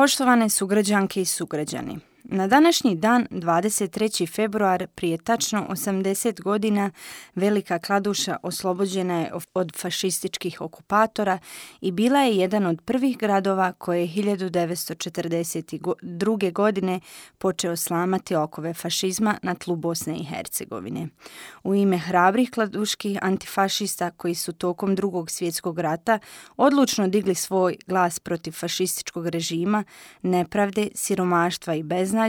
Poštovane sugrađanke i sugrađani, na današnji dan, 23. februar, prije tačno 80 godina, Velika Kladuša oslobođena je od fašističkih okupatora i bila je jedan od prvih gradova koje je 1942. godine počeo slamati okove fašizma na tlu Bosne i Hercegovine. U ime hrabrih kladuških antifašista koji su tokom Drugog svjetskog rata odlučno digli svoj glas protiv fašističkog režima, nepravde, siromaštva i beznađa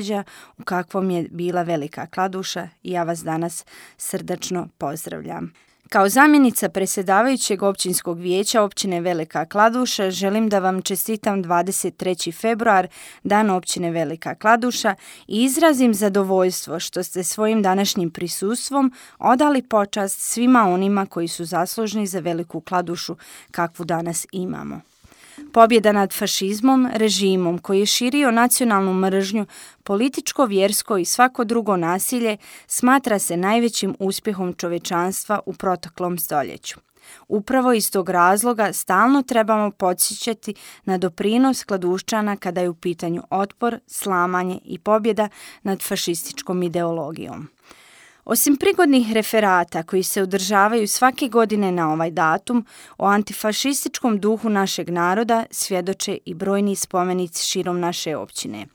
u kakvom je bila Velika Kladuša, i ja vas danas srdačno pozdravljam. Kao zamjenica predsjedavajućeg općinskog vijeća općine Velika Kladuša želim da vam čestitam 23. februar, dan općine Velika Kladuša, i izrazim zadovoljstvo što ste svojim današnjim prisustvom odali počast svima onima koji su zaslužni za Veliku Kladušu kakvu danas imamo. Pobjeda nad fašizmom, režimom koji je širio nacionalnu mržnju, političko, vjersko i svako drugo nasilje, smatra se najvećim uspjehom čovječanstva u proteklom stoljeću. Upravo iz tog razloga stalno trebamo podsjećati na doprinos Kladuščana kada je u pitanju otpor, slamanje i pobjeda nad fašističkom ideologijom. Osim prigodnih referata koji se održavaju svake godine na ovaj datum, o antifašističkom duhu našeg naroda svjedoče i brojni spomenici širom naše općine.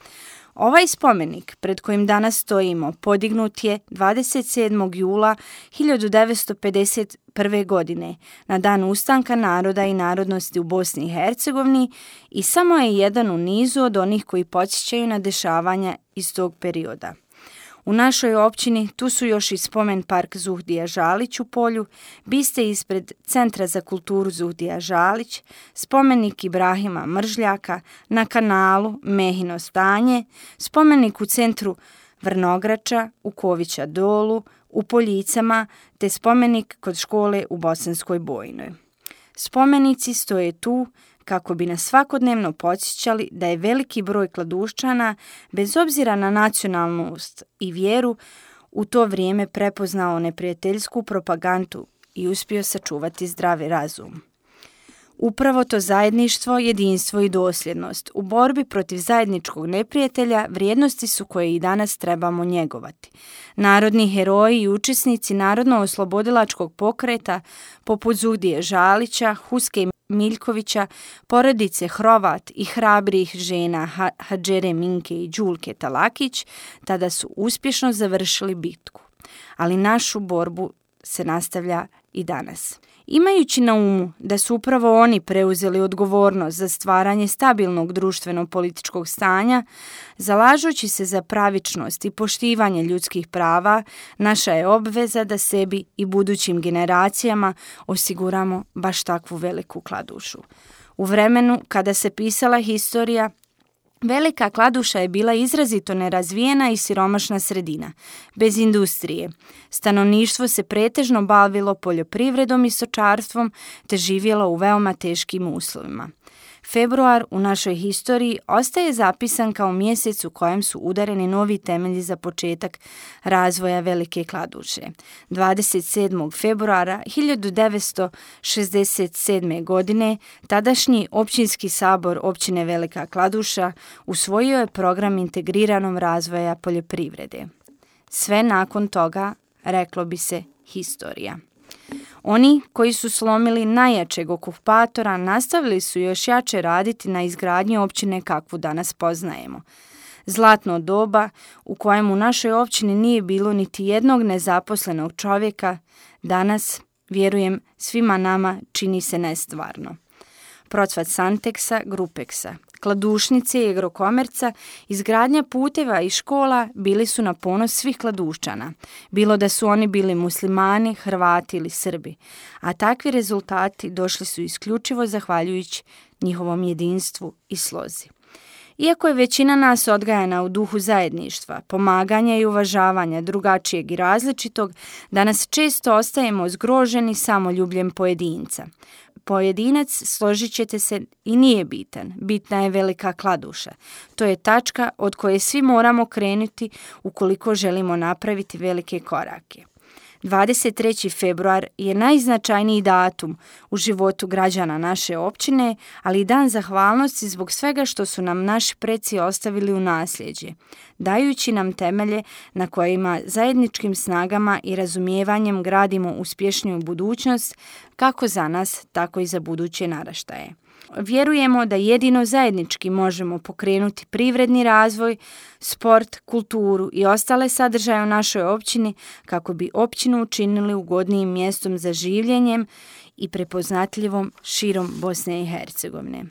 Ovaj spomenik pred kojim danas stojimo podignut je 27. jula 1951. godine na dan ustanka naroda i narodnosti u Bosni i Hercegovini i samo je jedan u nizu od onih koji podsjećaju na dešavanja iz tog perioda. U našoj općini tu su još i spomen park Zuhdija Žalić u Polju, biste ispred Centra za kulturu Zuhdija Žalić, spomenik Ibrahima Mržljaka, na kanalu Mehino stanje, spomenik u centru Vrnograča, u Kovića Dolu, u Poljicama, te spomenik kod škole u Bosanskoj Bojnoj. Spomenici stoje tu kako bi nas svakodnevno podsjećali da je veliki broj Kladuščana, bez obzira na nacionalnost i vjeru, u to vrijeme prepoznao neprijateljsku propagandu i uspio sačuvati zdravi razum. Upravo to zajedništvo, jedinstvo i dosljednost u borbi protiv zajedničkog neprijatelja vrijednosti su koje i danas trebamo njegovati. Narodni heroji i učesnici narodno-oslobodilačkog pokreta poput Zuhdije Žalića, Huske Miljkovića, porodice Hrovat i hrabrih žena Hadžere Minke i Đulke Talakić tada su uspješno završili bitku. Ali našu borbu se nastavlja i danas. Imajući na umu da su upravo oni preuzeli odgovornost za stvaranje stabilnog društveno-političkog stanja, zalažući se za pravičnost i poštivanje ljudskih prava, naša je obveza da sebi i budućim generacijama osiguramo baš takvu Veliku Kladušu. U vremenu kada se pisala historija, Velika Kladuša je bila izrazito nerazvijena i siromašna sredina, bez industrije. Stanovništvo se pretežno bavilo poljoprivredom i stočarstvom te živjelo u veoma teškim uslovima. Februar u našoj historiji ostaje zapisan kao mjesec u kojem su udareni novi temelji za početak razvoja Velike Kladuše. 27. februara 1967. godine tadašnji općinski sabor općine Velika Kladuša usvojio je program integriranog razvoja poljoprivrede. Sve nakon toga, reklo bi se, historija. Oni koji su slomili najjačeg okupatora nastavili su još jače raditi na izgradnji općine kakvu danas poznajemo. Zlatno doba u kojem u našoj općini nije bilo niti jednog nezaposlenog čovjeka, danas, vjerujem, svima nama čini se nestvarno. Procvat Santeksa, Grupeksa, Kladušnice i Agrokomerca, izgradnja puteva i škola bili su na ponos svih Kladuščana, bilo da su oni bili muslimani, Hrvati ili Srbi, a takvi rezultati došli su isključivo zahvaljujući njihovom jedinstvu i slozi. Iako je većina nas odgajana u duhu zajedništva, pomaganja i uvažavanja drugačijeg i različitog, danas često ostajemo zgroženi samoljubljem pojedinca. Pojedinac, složit ćete se, i nije bitan. Bitna je Velika Kladuša. To je tačka od koje svi moramo krenuti ukoliko želimo napraviti velike korake. 23. februar je najznačajniji datum u životu građana naše općine, ali i dan zahvalnosti zbog svega što su nam naši preci ostavili u nasljeđe, dajući nam temelje na kojima zajedničkim snagama i razumijevanjem gradimo uspješniju budućnost kako za nas, tako i za buduće naraštaje. Vjerujemo da jedino zajednički možemo pokrenuti privredni razvoj, sport, kulturu i ostale sadržaje u našoj općini kako bi općinu učinili ugodnijim mjestom za življenjem i prepoznatljivom širom Bosne i Hercegovine.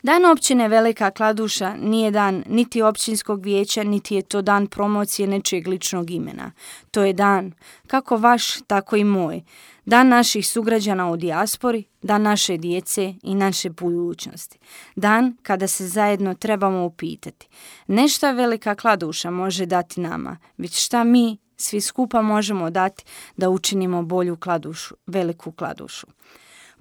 Dan općine Velika Kladuša nije dan niti općinskog vijeća, niti je to dan promocije nečijeg ličnog imena. To je dan, kako vaš, tako i moj. Dan naših sugrađana u dijaspori, dan naše djece i naše budućnosti. Dan kada se zajedno trebamo upitati. Ne šta Velika Kladuša može dati nama, već šta mi svi skupa možemo dati da učinimo bolju Kladušu, Veliku Kladušu.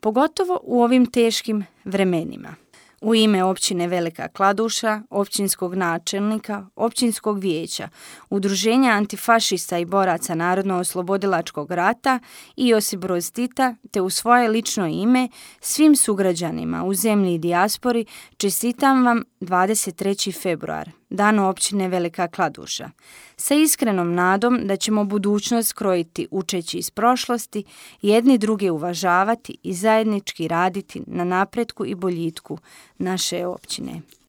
Pogotovo u ovim teškim vremenima. U ime općine Velika Kladuša, općinskog načelnika, općinskog vijeća, Udruženja antifašista i boraca Narodno-oslobodilačkog rata i Josip Broz Tita, te u svoje lično ime svim sugrađanima u zemlji i dijaspori čestitam vam 23. februar, dan općine Velika Kladuša, sa iskrenom nadom da ćemo budućnost krojiti učeći iz prošlosti, jedni druge uvažavati i zajednički raditi na napretku i boljitku naše općine.